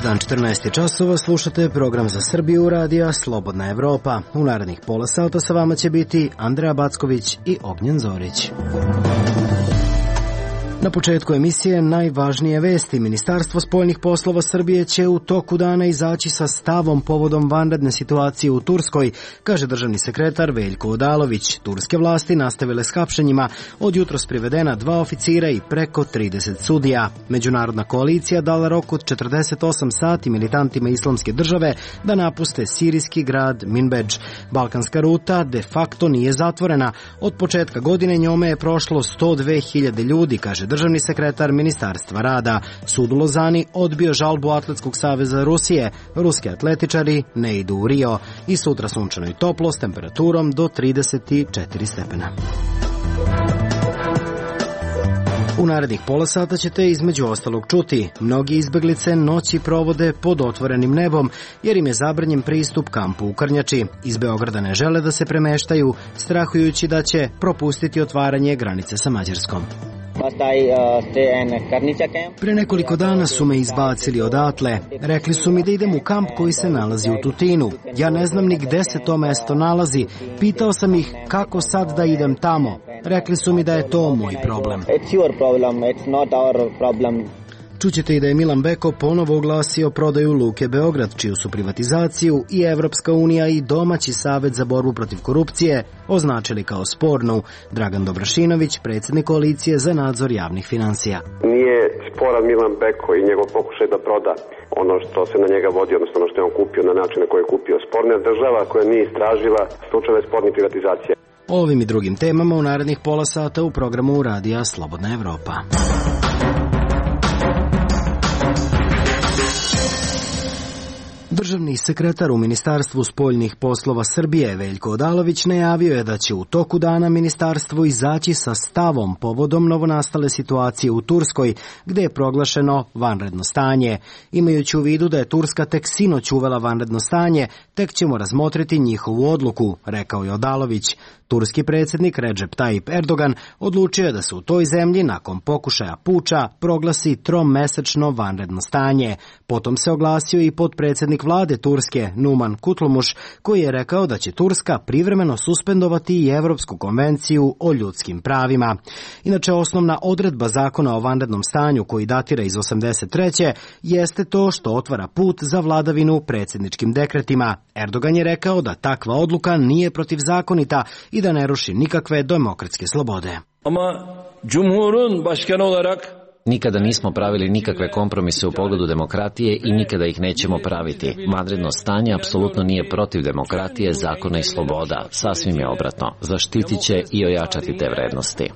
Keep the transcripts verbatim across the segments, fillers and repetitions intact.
dan četrnaest časova, slušate program za Srbiju radija Slobodna Evropa. U narednih pola sata sa vama će biti Andreja Backović i Ognjen Zorić. Na početku emisije najvažnije vesti. Ministarstvo spoljnih poslova Srbije će u toku dana izaći sa stavom povodom vanredne situacije u Turskoj, kaže državni sekretar Veljko Odalović. Turske vlasti nastavile s hapšenjima, od jutros privedena dva oficira i preko trideset sudija. Međunarodna koalicija dala rok od četrdeset osam sati militantima Islamske države da napuste sirijski grad Minbedž. Balkanska ruta de facto nije zatvorena. Od početka godine njome je prošlo sto dve hiljade ljudi, kaže državni sekretar Ministarstva rada. Sud u Lozani odbio žalbu Atletskog saveza Rusije. Ruski atletičari ne idu u Rio. I sutra sunčano i toplo s temperaturom do trideset četiri stepena. U narednih pola sata ćete između ostalog čuti. Mnogi izbeglice noći provode pod otvorenim nebom jer im je zabranjen pristup kampu u Krnjači. Iz Beograda ne žele da se premeštaju, strahujući da će propustiti otvaranje granice sa Mađarskom. Pre nekoliko dana su me izbacili odatle. Rekli su mi da idem u kamp koji se nalazi u Tutinu. Ja ne znam ni gde se to mesto nalazi. Pitao sam ih kako sad da idem tamo. Rekli su mi da je to moj problem. Čućete i da je Milan Beko ponovo oglasio prodaju Luke Beograd, čiju su privatizaciju i Evropska unija i domaći Savet za borbu protiv korupcije označili kao spornu. Dragan Dobrašinović, predsjednik koalicije za nadzor javnih finansija. Nije sporan Milan Beko i njegov pokušaj da proda ono što se na njega vodi, odnosno ono što je on kupio na način na koji je kupio. Sporna država koja nije istražila slučajeve spornih privatizacija. O ovim i drugim temama u narednih pola sata u programu radija Slobodna Evropa. Državni sekretar u Ministarstvu spoljnih poslova Srbije Veljko Odalović najavio je da će u toku dana ministarstvo izaći sa stavom povodom novonastale situacije u Turskoj, gde je proglašeno vanredno stanje. Imajući u vidu da je Turska tek sinoć uvela vanredno stanje, tek ćemo razmotriti njihovu odluku, rekao je Odalović. Turski predsjednik Recep Tayyip Erdogan odlučio je da se u toj zemlji nakon pokušaja puča proglasi tromesečno vanredno stanje. Potom se oglasio i potpredsjednik vlade Turske Numan Kurtulmuş, koji je rekao da će Turska privremeno suspendovati i Evropsku konvenciju o ljudskim pravima. Inače, osnovna odredba zakona o vanrednom stanju, koji datira iz osamdeset treće jeste to što otvara put za vladavinu predsjedničkim dekretima. Erdogan je rekao da takva odluka nije protivzakonita i da ne ruši nikakve demokratske slobode. Ama Cumhur'un başkanı olarak nikada nismo pravili nikakve kompromise u pogledu demokratije i nikada ih nećemo praviti. Vanredno stanje apsolutno nije protiv demokratije, zakona i sloboda. Sasvim je obratno. Zaštitit će i ojačati te vrednosti.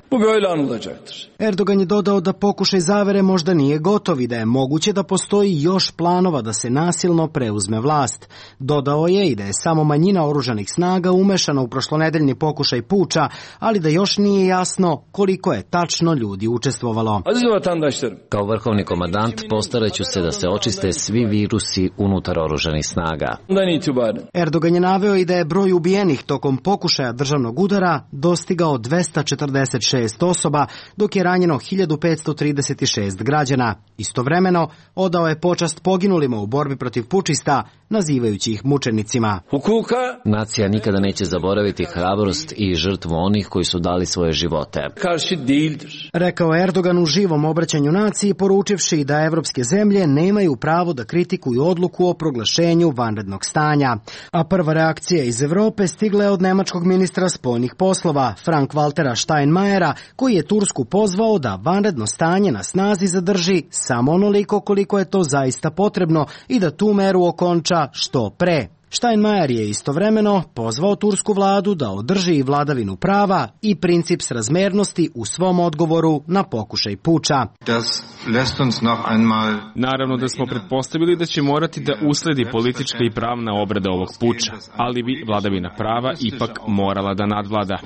Erdogan je dodao da pokušaj zavere možda nije gotov i da je moguće da postoji još planova da se nasilno preuzme vlast. Dodao je i da je samo manjina oružanih snaga umešana u prošlonedeljni pokušaj puča, ali da još nije jasno koliko je tačno ljudi učestvovalo. Kao vrhovni komandant postaraću se da se očiste svi virusi unutar oružanih snaga. Erdogan je naveo i da je broj ubijenih tokom pokušaja državnog udara dostigao dvesta četrdeset šest osoba, dok je ranjeno hiljadu petsto trideset šest građana. Istovremeno, odao je počast poginulima u borbi protiv pučista, nazivajući ih mučenicima. Nacija nikada neće zaboraviti hrabrost i žrtvu onih koji su dali svoje živote. Rekao je Erdogan u živom obraćanju naciji, poručivši da evropske zemlje nemaju pravo da kritikuju odluku o proglašenju vanrednog stanja. A prva reakcija iz Evrope stigla je od nemačkog ministra spoljnih poslova, Frank-Waltera Steinmeiera, koji je Tursku pozvao da vanredno stanje na snazi zadrži samo onoliko koliko je to zaista potrebno i da tu meru okonča što pre. Steinmeier je istovremeno pozvao tursku vladu da održi i vladavinu prava i princip srazmernosti u svom odgovoru na pokušaj puča. Naravno da smo pretpostavili da će morati da usledi politička i pravna obrada ovog puča, ali bi vladavina prava ipak morala da nadvlada.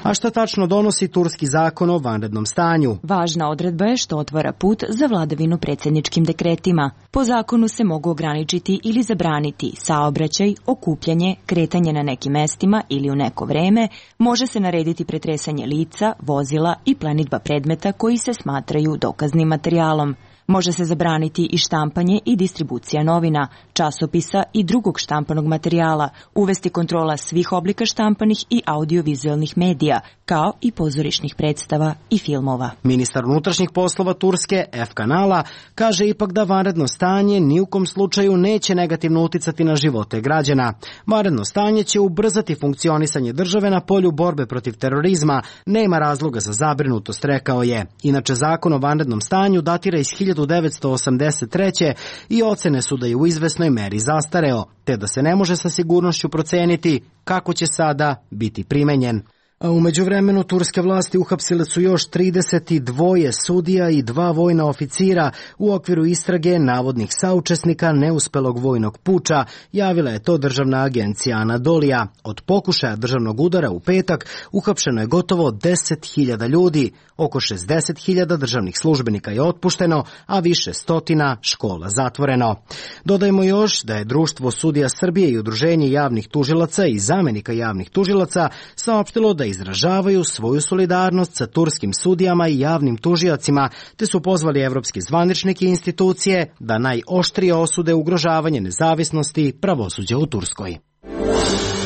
A šta tačno donosi turski zakon o vanrednom stanju? Važna odredba je što otvara put za vladavinu predsjedničkim dekretima. Po zakonu se mogu ograničiti ili zabraniti saobraćaj, okupljanje, kretanje na nekim mestima ili u neko vreme, može se narediti pretresanje lica, vozila i plenidba predmeta koji se smatraju dokaznim materijalom. Može se zabraniti i štampanje i distribucija novina, časopisa i drugog štampanog materijala, uvesti kontrola svih oblika štampanih i audiovizualnih medija, kao i pozorišnih predstava i filmova. Ministar unutrašnjih poslova Turske, F. Kanala, kaže ipak da vanredno stanje ni u kom slučaju neće negativno uticati na živote građana. Vanredno stanje će ubrzati funkcionisanje države na polju borbe protiv terorizma, nema razloga za zabrinutost, rekao je. Inače, zakon o vanrednom stanju datira iz hiljadu devetsto osamdeset treće i ocene su da je u izvesnoj meri zastareo, te da se ne može sa sigurnošću proceniti kako će sada biti primenjen. A u međuvremenu turske vlasti uhapsile su još trideset dva sudija i dva vojna oficira u okviru istrage navodnih saučesnika neuspelog vojnog puča, javila je to državna agencija Anadolija. Od pokušaja državnog udara u petak uhapšeno je gotovo deset hiljada ljudi, oko šezdeset hiljada državnih službenika je otpušteno, a više stotina škola zatvoreno. Dodajmo još da je Društvo sudija Srbije i Udruženje javnih tužilaca i zamenika javnih tužilaca saopštilo da izražavaju svoju solidarnost sa turskim sudijama i javnim tužiocima, te su pozvali evropske zvaničnike i institucije da najoštrije osude ugrožavanje nezavisnosti pravosuđa u Turskoj.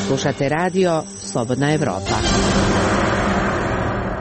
Slušate radio Slobodna Evropa.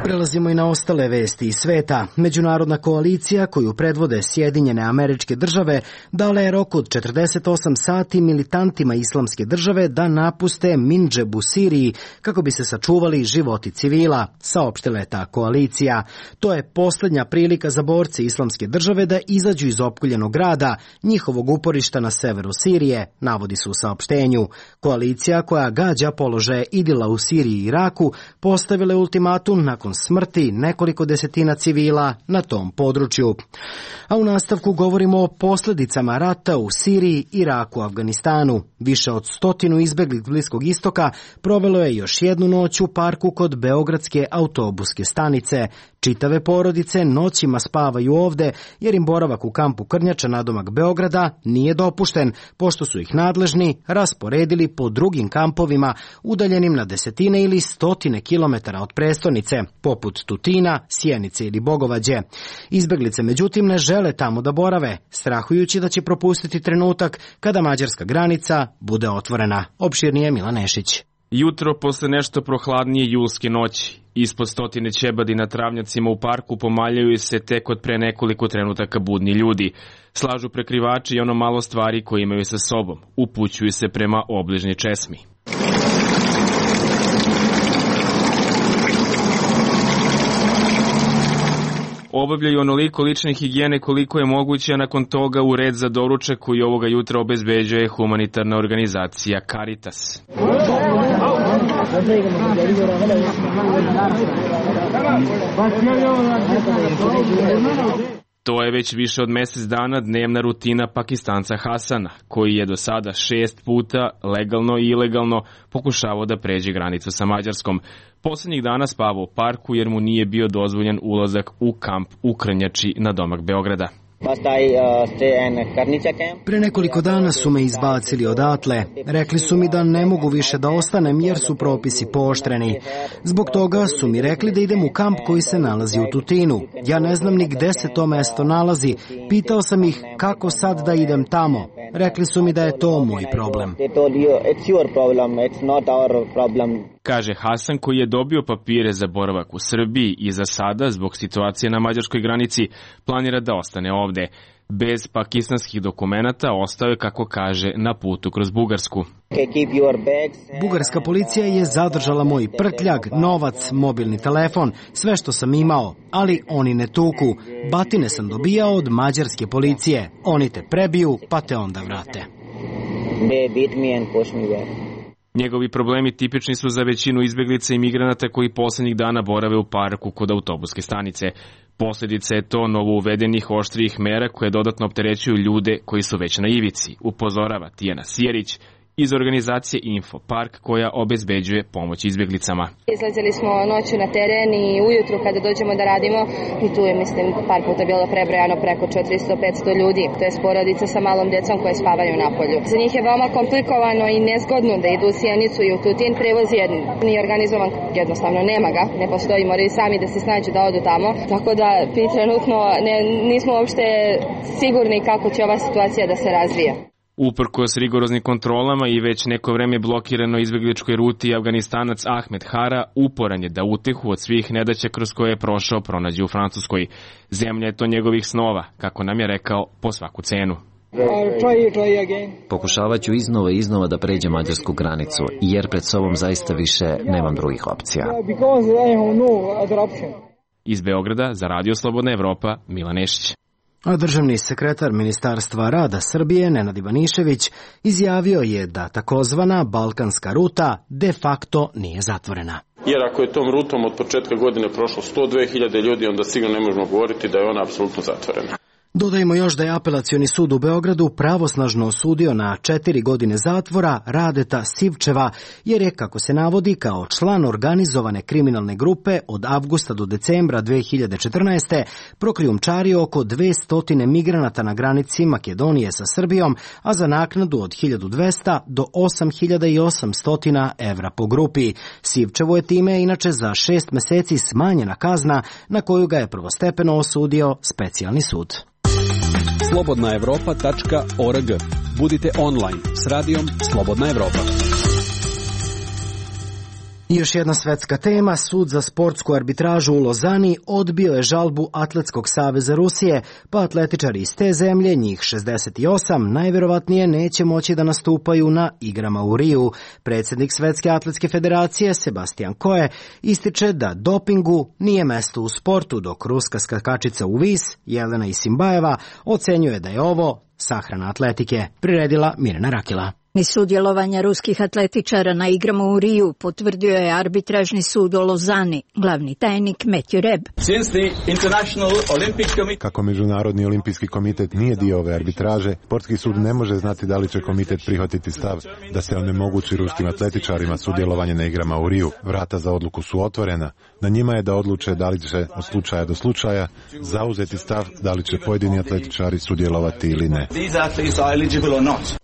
Prelazimo i na ostale vesti iz sveta. Međunarodna koalicija koju predvode Sjedinjene Američke Države dala je rok od četrdeset osam sati militantima Islamske države da napuste Mindžeb u Siriji kako bi se sačuvali životi civila, saopštila je ta koalicija. To je posljednja prilika za borce Islamske države da izađu iz opkoljenog grada, njihovog uporišta na severu Sirije, navodi se u saopštenju. Koalicija koja gađa položaje Idila u Siriji i Iraku postavila je ultimatum nakon smrti nekoliko desetina civila na tom području. A u nastavku govorimo o posljedicama rata u Siriji, Iraku, Afganistanu. Više od stotinu izbeglih Bliskog istoka provelo je još jednu noć u parku kod beogradske autobuske stanice. Čitave porodice noćima spavaju ovde jer im boravak u kampu Krnjača nadomak Beograda nije dopušten, pošto su ih nadležni rasporedili po drugim kampovima udaljenim na desetine ili stotine kilometara od prestonice, poput Tutina, Sjenice ili Bogovađe. Izbeglice međutim ne žele tamo da borave, strahujući da će propustiti trenutak kada mađarska granica bude otvorena. Opširnije Milan Nešić. Jutro posle nešto prohladnije julske noći. Ispod stotine ćebadi na travnjacima u parku pomaljaju se tek od pre nekoliko trenutaka budni ljudi. Slažu prekrivači i ono malo stvari koje imaju sa sobom. Upućuju se prema obližnjoj česmi. Obavljaju onoliko lične higijene koliko je moguće, a nakon toga u red za doručak koji ovoga jutra obezbeđuje humanitarna organizacija Caritas. To je već više od mjesec dana dnevna rutina Pakistanca Hasana, koji je do sada šest puta legalno i ilegalno pokušavao da pređe granicu sa Mađarskom. Posljednjih dana spavao u parku jer mu nije bio dozvoljen ulazak u kamp u Krnjači na domak Beograda. Pre nekoliko dana su me izbacili odatle. Rekli su mi da ne mogu više da ostanem jer su propisi pooštreni. Zbog toga su mi rekli da idem u kamp koji se nalazi u Tutinu. Ja ne znam ni gde se to mesto nalazi. Pitao sam ih kako sad da idem tamo. Rekli su mi da je to moj problem. Kaže Hasan, koji je dobio papire za boravak u Srbiji i za sada, zbog situacije na mađarskoj granici, planira da ostane ovde. Bez pakistanskih dokumenata ostao je, kako kaže, na putu kroz Bugarsku. Bugarska policija je zadržala moj prtljag, novac, mobilni telefon, sve što sam imao, ali oni ne tuku. Batine sam dobijao od mađarske policije. Oni te prebiju, pa te onda vrate. Njegovi problemi tipični su za većinu izbjeglica i migranata koji posljednjih dana borave u parku kod autobuske stanice. Posljedica je to novo uvedenih oštrijih mera koje dodatno opterećuju ljude koji su već na ivici, upozorava Tijana Sjerić iz organizacije Info Park koja obezbeđuje pomoć izbjeglicama. Izlazili smo noću na teren i ujutru kada dođemo da radimo i tu je, mislim, par puta bilo prebrojano preko četiristo do petsto ljudi. To je porodica sa malom djecom koje spavaju na polju. Za njih je veoma komplikovano i nezgodno da idu u Sjenicu i u Tutin. Prevoz je nije organizovan, jednostavno nema ga, ne postoji, moraju sami da se snađu da odu tamo. Tako da mi trenutno ne, nismo uopšte sigurni kako će ova situacija da se razvije. Uprkos rigoroznim kontrolama i već neko vreme blokirano izbjegličkoj ruti, Afganistanac Ahmed Hara uporan je da utehu od svih nedaća kroz koje je prošao pronađe u Francuskoj. Zemlja je to njegovih snova, kako nam je rekao, po svaku cenu. Pokušavat ću iznova i iznova da pređem mađarsku granicu, jer pred sobom zaista više nemam drugih opcija. Iz Beograda za Radio Slobodna Evropa, Milan Nešić. A državni sekretar Ministarstva rada Srbije, Nenad Ivanišević, izjavio je da takozvana balkanska ruta de facto nije zatvorena. Jer ako je tom rutom od početka godine prošlo sto dve hiljade ljudi, onda sigurno ne možemo govoriti da je ona apsolutno zatvorena. Dodajmo još da je Apelacioni sud u Beogradu pravosnažno osudio na četiri godine zatvora Radeta Sivčeva, jer je, kako se navodi, kao član organizovane kriminalne grupe od avgusta do decembra dve hiljade četrnaeste. prokrijumčario oko dvesta migranata na granici Makedonije sa Srbijom, a za naknadu od hiljadu dvesta do osam hiljada osamsto evra po grupi. Sivčevu je time inače za šest meseci smanjena kazna na koju ga je prvostepeno osudio specijalni sud. slobodna evropa tačka org. Budite online s radijom Slobodna Evropa. I još jedna svetska tema, sud za sportsku arbitražu u Lozani odbio je žalbu Atletskog saveza Rusije, pa atletičari iz te zemlje, njih šezdeset osam, najverovatnije neće moći da nastupaju na igrama u Riju. Predsjednik Svetske atletske federacije Sebastian Coe ističe da dopingu nije mesto u sportu, dok ruska skakačica u vis, Jelena Isimbajeva, ocenjuje da je ovo sahrana atletike. Priredila Mirjana Rakila. Ni sudjelovanja ruskih atletičara na igrama u Riju potvrdio je arbitražni sud u Lozani, glavni tajnik Matthew Reb. Kako Međunarodni olimpijski komitet nije dio ove arbitraže, sportski sud ne može znati da li će komitet prihvatiti stav da se onemogući ruskim atletičarima sudjelovanje na igrama u Riju. Vrata za odluku su otvorena. Na njima je da odluče da li će od slučaja do slučaja zauzeti stav da li će pojedini atletičari sudjelovati ili ne.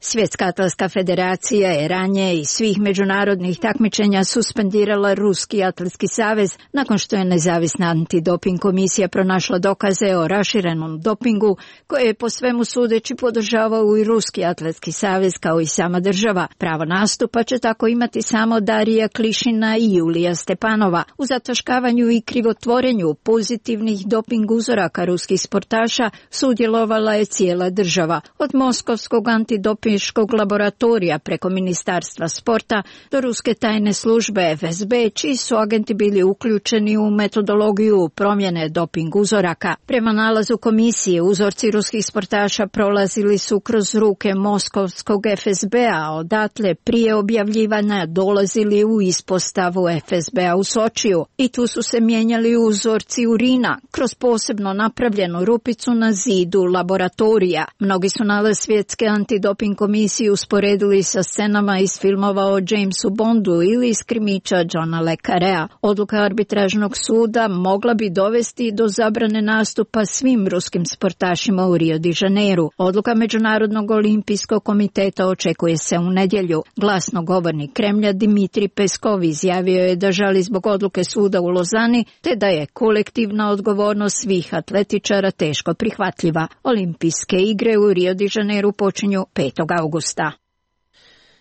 Svjetska atletska federacija je ranije iz svih međunarodnih takmičenja suspendirala Ruski atletski savez nakon što je nezavisna antidoping komisija pronašla dokaze o raširenom dopingu koje je po svemu sudeći podržavao i Ruski atletski savez kao i sama država. Pravo nastupa će tako imati samo Darija Klišina i Julija Stepanova. U zataškavanju i krivotvorenju pozitivnih doping uzoraka ruskih sportaša sudjelovala je cijela država. Od Moskovskog antidopinškog laboratorija preko Ministarstva sporta do Ruske tajne službe F S B, čiji su agenti bili uključeni u metodologiju promjene doping uzoraka. Prema nalazu komisije, uzorci ruskih sportaša prolazili su kroz ruke Moskovskog F S B-a, odatle prije objavljivanja dolazili u ispostavu F S B-a u Sočiju i tu su se mijenjali uzorci urina kroz posebno napravljenu rupicu na zidu laboratorija. Mnogi su nalaz Svjetske antidoping komisije usporedili sa scenama iz filmova o Jamesu Bondu ili iz krimića Johna le Carrea. Odluka arbitražnog suda mogla bi dovesti do zabrane nastupa svim ruskim sportašima u Rio de Janeiru. Odluka Međunarodnog olimpijskog komiteta očekuje se u nedjelju. Glasnogovornik Kremlja Dimitrij Peskov izjavio je da žali zbog odluke suda u Lozani, te da je kolektivna odgovornost svih atletičara teško prihvatljiva. Olimpijske igre u Rio de Janeiru počinju petog augusta.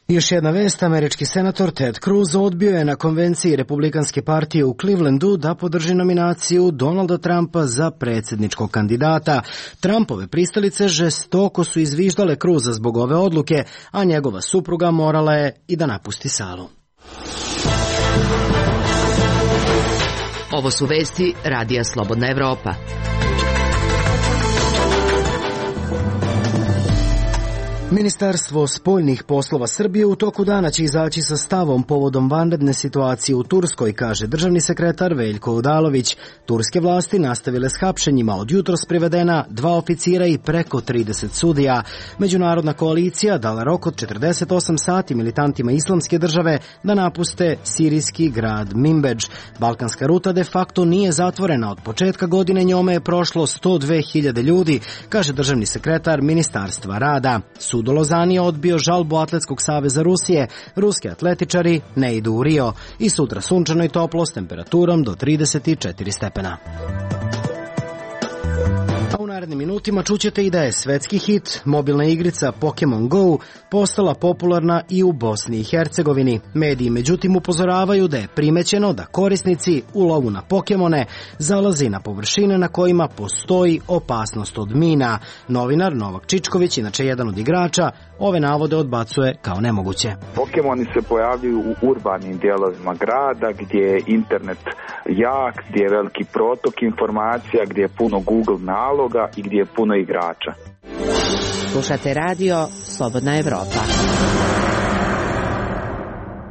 Još jedna vest, američki senator Ted Cruz odbio je na konvenciji Republikanske partije u Clevelandu da podrži nominaciju Donalda Trumpa za predsjedničkog kandidata. Trumpove pristalice žestoko su izviždale Cruza zbog ove odluke, a njegova supruga morala je i da napusti salu. Ovo su vesti Radija Slobodna Evropa. Ministarstvo spoljnih poslova Srbije u toku dana će izaći sa stavom povodom vanredne situacije u Turskoj, kaže državni sekretar Veljko Odalović. Turske vlasti nastavile s hapšenjima, od jutros privedena dva oficira i preko trideset sudija. Međunarodna koalicija dala rok od četrdeset osam sati militantima Islamske države da napuste sirijski grad Minbedž. Balkanska ruta de facto nije zatvorena. Od početka godine njome je prošlo sto dve hiljade ljudi, kaže državni sekretar Ministarstva rada. Sud u Lozani je odbio žalbu Atletskog saveza Rusije. Ruski atletičari ne idu u Rio. I sutra sunčano i toplo s temperaturom do trideset četiri stepena. A u narednim minutima čućete i da je svetski hit, mobilna igrica Pokemon Go, postala popularna i u Bosni i Hercegovini. Mediji međutim upozoravaju da je primećeno da korisnici u lovu na Pokemone zalazi na površine na kojima postoji opasnost od mina. Novinar Novak Čičković, inače jedan od igrača, ove navode odbacuje kao nemoguće. Pokemoni se pojavljuju u urbanim dijelovima grada gdje je internet jak, gdje je veliki protok informacija, gdje je puno Google naloga i gdje je puno igrača. Slušate radio Slobodna Evropa.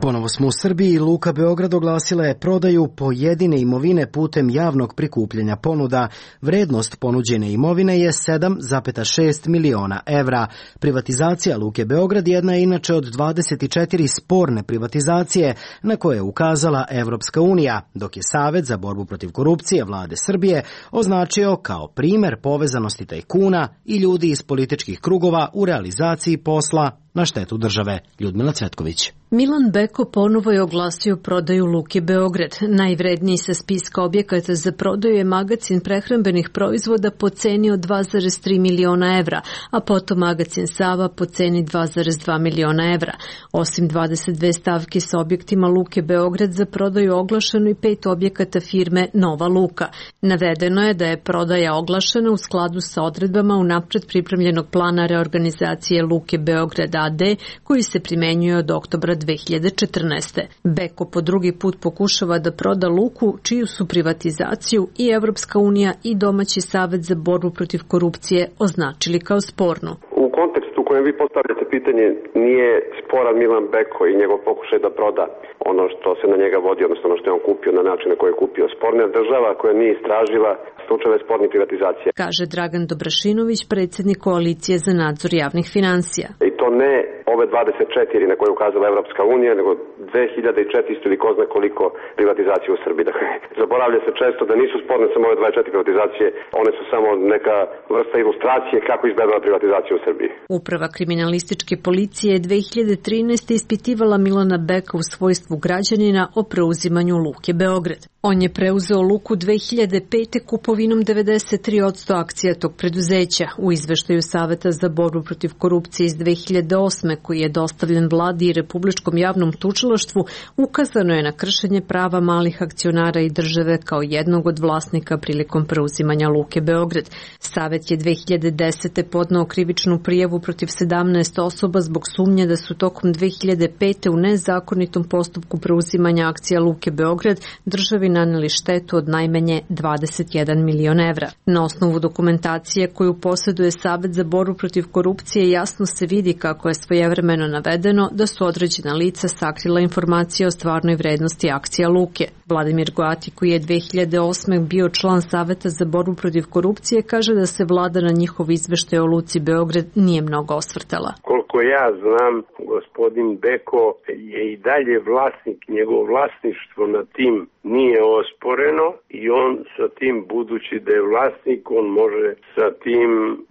Ponovo smo u Srbiji. Luka Beograd oglasila je prodaju pojedine imovine putem javnog prikupljanja ponuda. Vrednost ponuđene imovine je sedam zarez šest miliona evra. Privatizacija Luke Beograd jedna je inače od dvadeset četiri sporne privatizacije na koje je ukazala Evropska unija, dok je Savet za borbu protiv korupcije vlade Srbije označio kao primer povezanosti tajkuna i ljudi iz političkih krugova u realizaciji posla na štetu države. Ljudmila Cvetković. Milan Beko ponovo je oglasio prodaju Luke Beograd. Najvredniji sa spiska objekata za prodaju je magacin prehrambenih proizvoda po ceni od dva zarez tri miliona evra, a potom magacin Sava po ceni dva zarez dva miliona evra. Osim dvadeset dve stavke sa objektima Luke Beograd za prodaju oglašeno i pet objekata firme Nova Luka. Navedeno je da je prodaja oglašena u skladu sa odredbama unapred pripremljenog plana reorganizacije Luke Beograd a d koji se primenjuje od oktobra dve hiljade četrnaeste. Beko po drugi put pokušava da proda Luku, čiju su privatizaciju i Evropska unija i domaći Savet za borbu protiv korupcije označili kao spornu. U kontekstu u kojem vi postavljate pitanje nije sporan Milan Beko i njegov pokušaj da proda ono što se na njega vodi, odnosno ono što je on kupio na način na koji je kupio. Sporna država koja nije istražila slučajeve spornih privatizacija. Kaže Dragan Dobrašinović, predsjednik koalicije za nadzor javnih finansija. I to ne ove dvadeset četiri na koje je ukazala Evropska unija, nego dve hiljade četiristo ili ko zna koliko privatizacije u Srbiji. Dakle, zaboravlja se često da nisu sporne samo ove dvadeset četiri privatizacije, one su samo neka vrsta ilustracije kako izgledala privatizacija u Srbiji. Uprava kriminalističke policije je dve hiljade trinaeste ispitivala Milana Beka u svojstvu građanina o preuzimanju Luke Beograd. On je preuzeo Luku dve hiljade pete kupovinom devedeset tri posto akcija tog preduzeća. U izveštaju Saveta za borbu protiv korupcije iz dve hiljade osme koji je dostavljen vladi i Republičkom javnom tužilaštvu, ukazano je na kršenje prava malih akcionara i države kao jednog od vlasnika prilikom preuzimanja Luke Beograd. Savet je dve hiljade desete podneo krivičnu prijavu protiv sedamnaest osoba zbog sumnje da su tokom dve hiljade pete u nezakonitom postupku preuzimanja akcija Luke Beograd državi naneli štetu od najmanje dvadeset jedan milion evra. Na osnovu dokumentacije koju posjeduje Savet za borbu protiv korupcije jasno se vidi kako je svojevremeno navedeno da su određena lica sakrila informacije o stvarnoj vrednosti akcija Luke. Vladimir Goati, koji je dve hiljade osme bio član Saveta za borbu protiv korupcije, kaže da se vlada na njihov izveštaj o Luci Beograd nije mnogo osvrtala. Koliko ja znam, gospodin Beko je i dalje vlasnik, njegovo vlasništvo na tim nije osporeno i on sa tim, budući da je vlasnik, on može sa tim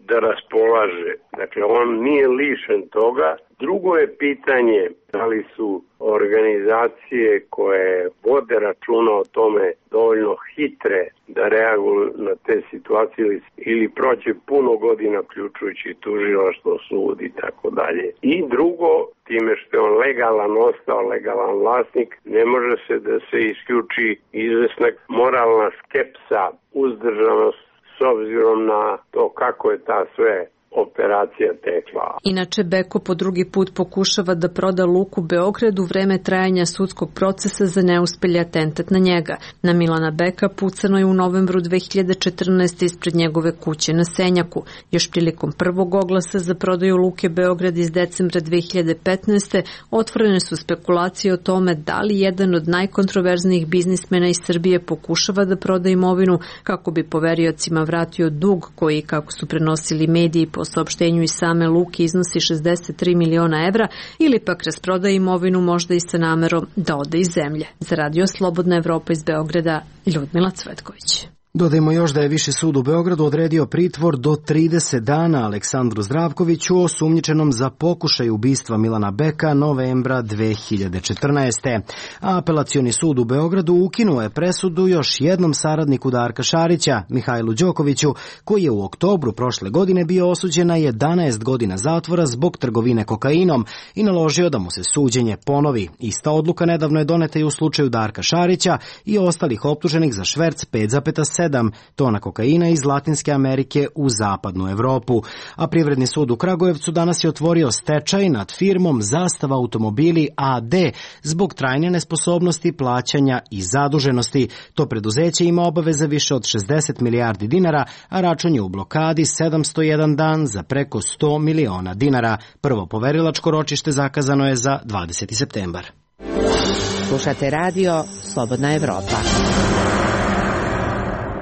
da raspolaže. Dakle, on nije lišen toga. Drugo je pitanje da li su organizacije koje vode računa o tome dovoljno hitre da reaguju na te situacije ili prođe puno godina uključujući tužilaštvo, sud i tako dalje. I drugo, time što je on legalan ostao, legalan vlasnik, ne može se da se isključi izvesna moralna skepsa, uzdržanost s obzirom na to kako je ta sve operacija tekla. Inače, Beko po drugi put pokušava da proda Luku Beograd u vreme trajanja sudskog procesa za neuspelji atentat na njega. Na Milana Beka pucano je u novembru dve hiljade četrnaeste. ispred njegove kuće na Senjaku. Još prilikom prvog oglasa za prodaju Luke Beograd iz decembra dve hiljade petnaeste. otvorene su spekulacije o tome da li jedan od najkontroverznijih biznismena iz Srbije pokušava da proda imovinu kako bi poveriocima vratio dug koji, kako su prenosili mediji po saopštenju iz same Luke, iznosi šezdeset tri miliona evra, ili pak rasproda imovinu možda i sa namerom da ode iz zemlje. Za Radio Slobodna Evropa iz Beograda, Ljudmila Cvetković. Dodajmo još da je Viši sud u Beogradu odredio pritvor do trideset dana Aleksandru Zdravkoviću, osumnjičenom za pokušaj ubistva Milana Beka novembra dve hiljade četrnaeste. A Apelacioni sud u Beogradu ukinuo je presudu još jednom saradniku Darka Šarića, Mihajlu Đokoviću, koji je u oktobru prošle godine bio osuđen na jedanaest godina zatvora zbog trgovine kokainom i naložio da mu se suđenje ponovi. Ista odluka nedavno je doneta i u slučaju Darka Šarića i ostalih optuženih za šverc pet zarez sedam tona kokaina iz Latinske Amerike u zapadnu Evropu. A Privredni sud u Kragujevcu danas je otvorio stečaj nad firmom Zastava automobili a de zbog trajne nesposobnosti plaćanja i zaduženosti. To preduzeće ima obaveze više od šezdeset milijardi dinara, a račun je u blokadi sedamsto jedan dan za preko sto miliona dinara. Prvo poverilačko ročište zakazano je za dvadeseti septembar. Slušate radio Slobodna Evropa.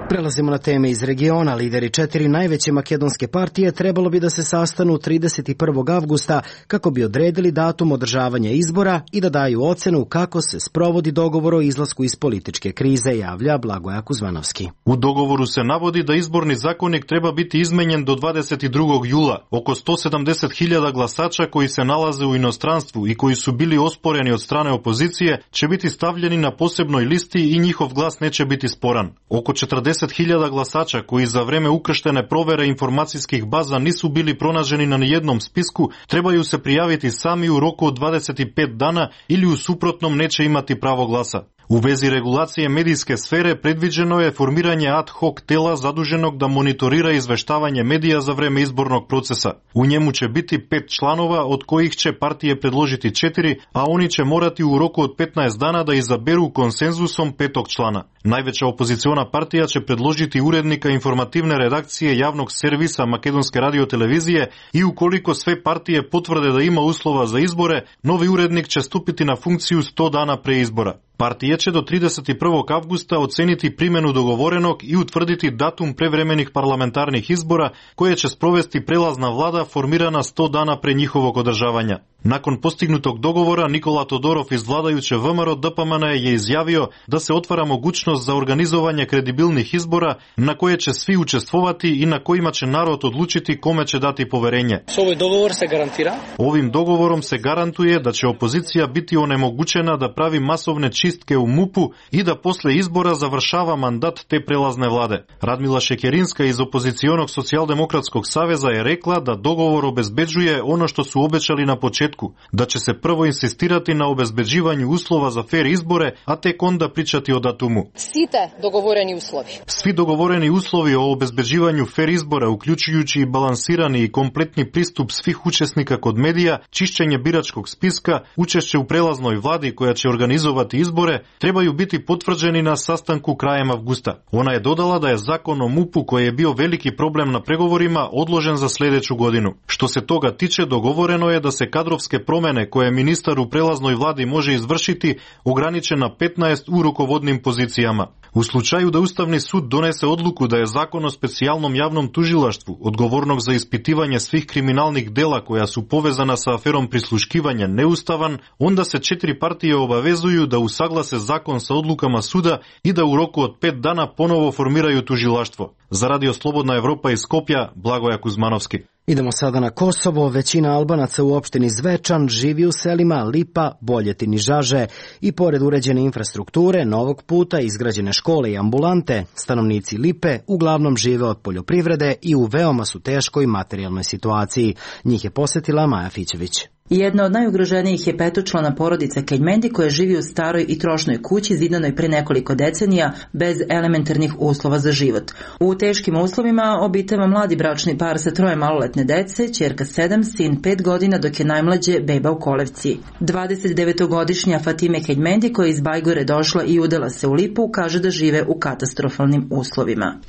Prelazimo na teme iz regiona. Lideri četiri najveće makedonske partije trebalo bi da se sastanu trideset prvog avgusta kako bi odredili datum održavanja izbora i da daju ocenu kako se sprovodi dogovor o izlasku iz političke krize, javlja Blagoja Kuzmanovski. U dogovoru se navodi da izborni zakonik treba biti izmenjen do dvadeset drugog jula. Oko sto sedamdeset hiljada glasača koji se nalaze u inostranstvu i koji su bili osporeni od strane opozicije će biti stavljeni na posebnoj listi i njihov glas neće biti sporan. Oko četrdeset hiljada glasača koji za vreme ukrštene provere informacijskih baza nisu bili pronađeni na nijednom spisku, trebaju se prijaviti sami u roku od dvadeset pet dana ili u suprotnom neće imati pravo glasa. U vezi regulacije medijske sfere predviđeno je formiranje ad hoc tela zaduženog da monitorira izveštavanje medija za vreme izbornog procesa. U njemu će biti pet članova, od kojih će partije predložiti četiri, a oni će morati u roku od petnaest dana da izaberu konsenzusom petog člana. Najveća opoziciona partija će predložiti urednika informativne redakcije javnog servisa Makedonske radiotelevizije i ukoliko sve partije potvrde da ima uslova za izbore, novi urednik će stupiti na funkciju sto dana pre izbora. Partije će do trideset prvog avgusta oceniti primjenu dogovorenog i utvrditi datum prevremenih parlamentarnih izbora koje će sprovesti prelazna vlada formirana sto dana pre njihovog održavanja. Nakon postignutog dogovora, Nikola Todorov iz vladajuće V M R O D P M N je izjavio da se otvara mogućnost za organizovanje kredibilnih izbora na koje će svi učestvovati i na kojima će narod odlučiti kome će dati poverenje. Ovaj dogovor se garantira? Ovim dogovorom se garantuje da će opozicija biti onemogućena da pravi masovne čistke u MUP-u i da posle izbora završava mandat te prelazne vlade. Radmila Šekerinska iz opozicionog socijaldemokratskog saveza je rekla da dogovor obezbeđuje ono što su obećali na početku, da će se prvo insistirati na obezbeđivanju uslova za fer izbore, a tek onda pričati o datumu. Site dogovoreni uslovi. Svi dogovoreni uslovi o obezbeđivanju fer izbora, uključujući i balansirani i kompletni pristup svih učesnika kod medija, čišćenje biračkog spiska, učešće u prelaznoj vladi koja će organizovati izbore, trebaju biti potvrđeni na sastanku krajem avgusta. Ona je dodala da je zakon o MUP-u, koji je bio veliki problem na pregovorima, odložen za sljedeću godinu. Što se toga tiče, dogovoreno je da se kadrovske promene koje ministar u prelaznoj vladi može izvršiti ograniče na petnaest u rukovodnim pozicijama. U slučaju da Ustavni sud donese odluku da je zakon o specijalnom javnom tužilaštvu, odgovornog za ispitivanje svih kriminalnih dela koja su povezana sa aferom prisluškivanja, neustavan, onda se četiri partije obavezuju da usaglase zakon sa odlukama suda i da u roku od pet dana ponovo formiraju tužilaštvo. Za Radio Slobodna Evropa iz Skopja, Blagoja Kuzmanovski. Idemo sada na Kosovo. Većina Albanaca u opštini Zvečan živi u selima Lipa, Boljetin i Žaže i pored uređene infrastrukture, novog puta, izgrađene škole i ambulante, stanovnici Lipe uglavnom žive od poljoprivrede i u veoma su teškoj materijalnoj situaciji. Njih je posetila Maja Fićević. Jedna od najugroženijih je petočlana porodica Keljmendi koja živi u staroj i trošnoj kući zidanoj pre nekoliko decenija bez elementarnih uslova za život. U teškim uslovima obitava mladi bračni par sa troje maloletne dece, ćerka sedam, sin pet godina, dok je najmlađe beba u kolevci. dvadesetdevetogodišnja Fatime Keljmendi koja je iz Bajgore došla i udala se u Lipu kaže da žive u katastrofalnim uslovima.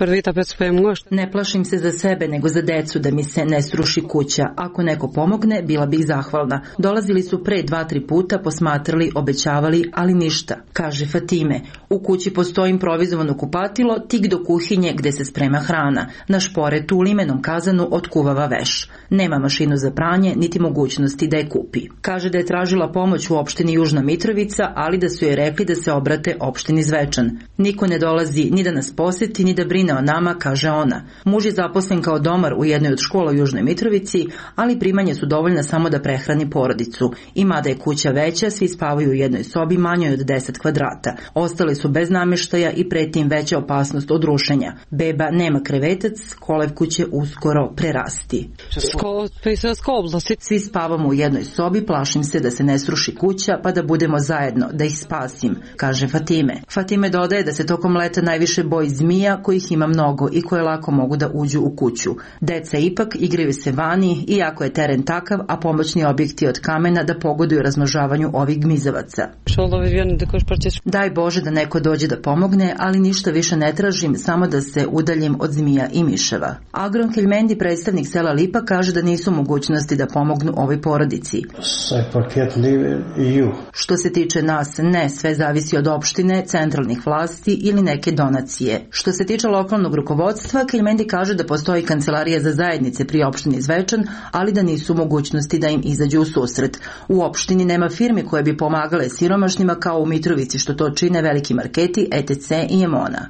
Ne plašim se za sebe nego za decu da mi se ne sruši kuća. Ako neko pomogne, bila bih zahvalna. Dolazili su pre dva, tri puta, posmatrali, obećavali, ali ništa, kaže Fatime. U kući postoji improvizovano kupatilo tik do kuhinje gde se sprema hrana. Na šporetu u limenom kazanu otkuvava veš. Nema mašinu za pranje, niti mogućnosti da je kupi. Kaže da je tražila pomoć u opštini Južna Mitrovica, ali da su joj rekli da se obrate opštini Zvečan. Niko ne dolazi ni da nas poseti, ni da brine o nama, kaže ona. Muž je zaposlen kao domar u jednoj od škola u Južnoj Mitrovici, ali primanja su dovoljna samo da prehrani porodicu. I mada je kuća veća, svi spavaju u jednoj sobi manjoj od deset kvadrata. Ostali su bez nameštaja i preti im veća opasnost od rušenja. Beba nema krevetac, kolevku će uskoro prerasti. Svi spavamo u jednoj sobi, plašim se da se ne sruši kuća pa da budemo zajedno, da ih spasim, kaže Fatime. Fatime dodaje da se tokom leta najviše boji zmija kojih ima mnogo i koje lako mogu da uđu u kuću. Deca ipak igraju se vani, iako je teren takav, a pomoćni objekti od kamena da pogoduju razmnožavanju ovih gmizavaca. Daj Bože da neko dođe da pomogne, ali ništa više ne tražim, samo da se udaljim od zmija i miševa. Agron Keljmendi, predstavnik sela Lipa, kaže da nisu mogućnosti da pomognu ovoj porodici. Što se tiče nas, ne, sve zavisi od opštine, centralnih vlasti ili neke donacije. Što se tiče lokalnog rukovodstva, Keljmendi kaže da postoji kancelarija za zajednice pri opštini Zvečan, ali da nisu mogućnosti da im izađu u susret. U opštini nema firmi koje bi pomagale siromašnima kao u Mitrovici, što to čine veliki marketi, et cetera i Emona.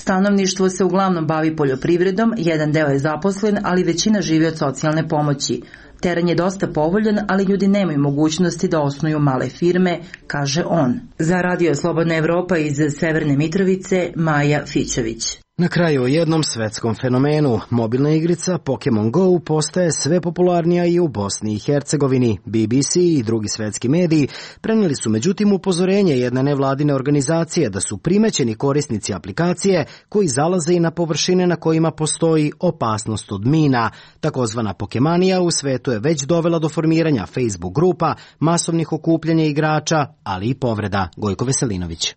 Stanovništvo se uglavnom bavi poljoprivredom, jedan deo je zaposlen, ali većina živi od socijalne pomoći. Teren je dosta povoljan, ali ljudi nemaju mogućnosti da osnuju male firme, kaže on. Za Radio Slobodna Evropa iz Severne Mitrovice, Maja Fićević. Na kraju o jednom svetskom fenomenu. Mobilna igrica Pokemon Go postaje sve popularnija i u Bosni i Hercegovini. B B C i drugi svetski mediji prenijeli su međutim upozorenje jedne nevladine organizacije da su primećeni korisnici aplikacije koji zalaze i na površine na kojima postoji opasnost od mina. Takozvana Pokemanija u svetu je već dovela do formiranja Facebook grupa, masovnih okupljanja igrača, ali i povreda. Gojko Veselinović.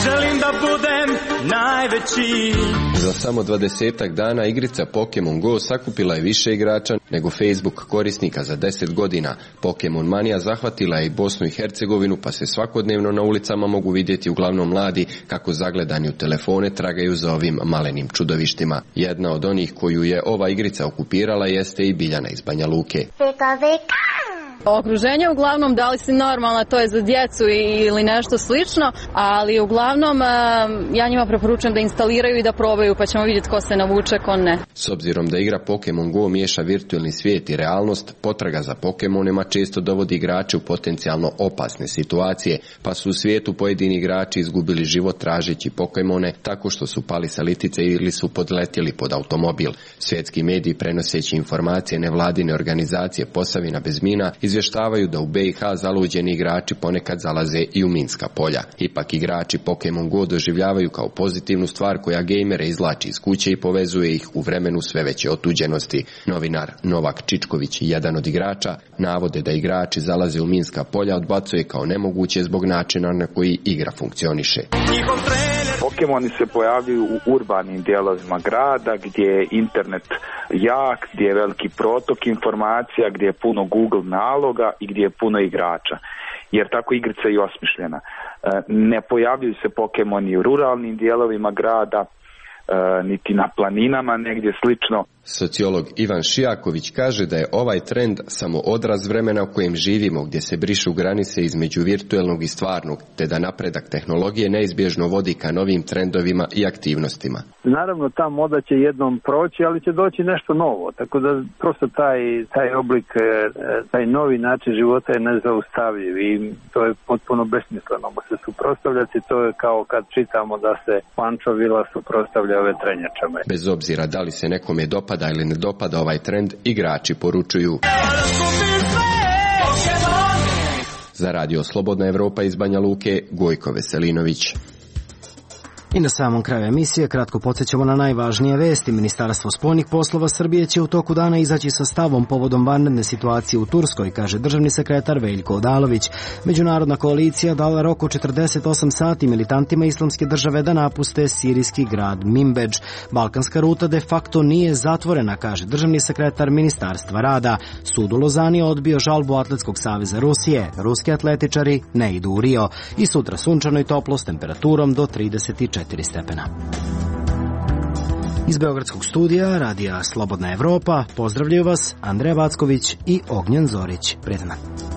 Želim da budem najveći. Za samo dvadesetak dana igrica Pokemon Go sakupila je više igrača nego Facebook korisnika za deset godina. Pokemon manija zahvatila je i Bosnu i Hercegovinu, pa se svakodnevno na ulicama mogu vidjeti uglavnom mladi kako zagledani u telefone tragaju za ovim malenim čudovištima. Jedna od onih koju je ova igrica okupirala jeste i Biljana iz Banja Luke. Okruženje uglavnom da li si normalna, to je za djecu ili nešto slično, ali uglavnom ja njima preporučujem da instaliraju i da probaju, pa ćemo vidjeti ko se navuče, ko ne. S obzirom da igra Pokemon Go miješa virtualni svijet i realnost, potraga za Pokemonima često dovodi igrače u potencijalno opasne situacije, pa su u svijetu pojedini igrači izgubili život tražeći Pokemone tako što su pali sa litice ili su podletjeli pod automobil. Svjetski mediji prenoseći informacije nevladine organizacije Posavina bez mina izvještavaju da u B i H zaluđeni igrači ponekad zalaze i u minska polja. Ipak igrači Pokemon Go doživljavaju kao pozitivnu stvar koja gejmere izvlači iz kuće i povezuje ih u vremenu sve veće otuđenosti. Novinar Novak Čičković, jedan od igrača, navode da igrači zalaze u minska polja odbacuje kao nemoguće zbog načina na koji igra funkcioniše. Pokemoni se pojavljuju u urbanim dijelovima grada gdje je internet jak, gdje je veliki protok informacija, gdje je puno Google naloga i gdje je puno igrača. Jer tako igrica je i osmišljena. Ne pojavljuju se Pokemoni u ruralnim dijelovima grada, niti na planinama, negdje slično. Sociolog Ivan Šijaković kaže da je ovaj trend samo odraz vremena u kojem živimo, gdje se brišu granice između virtuelnog i stvarnog, te da napredak tehnologije neizbježno vodi ka novim trendovima i aktivnostima. Naravno, ta moda će jednom proći, ali će doći nešto novo, tako da prosto taj, taj oblik, taj novi način života je nezaustavljiv i to je potpuno besmisleno se suprotstavljati. To je kao kad čitamo da se Pančo Vila suprotstavlja vetrenjačama. Bez obzira da li se nekome dopada dopada ili ne dopada ovaj trend, igrači poručuju. Za Radio Slobodna Evropa iz Banja Luke, Gojko Veselinović. I na samom kraju emisije kratko podsjećamo na najvažnije vesti. Ministarstvo spoljnih poslova Srbije će u toku dana izaći sa stavom povodom vanredne situacije u Turskoj, kaže državni sekretar Veljko Odalović. Međunarodna koalicija dala rok od četrdeset osam sati militantima Islamske države da napuste sirijski grad Minbedž. Balkanska ruta de facto nije zatvorena, kaže državni sekretar Ministarstva rada. Sud u Lozani odbio žalbu Atletskog saveza Rusije. Ruski atletičari ne idu u Rio. I sutra sunčano i toplo s temperaturom do trideset četiri stepena. Iz Beogradskog studija Radija Slobodna Evropa pozdravljaju vas Andreja Vacković i Ognjen Zorić. Prijetan dan.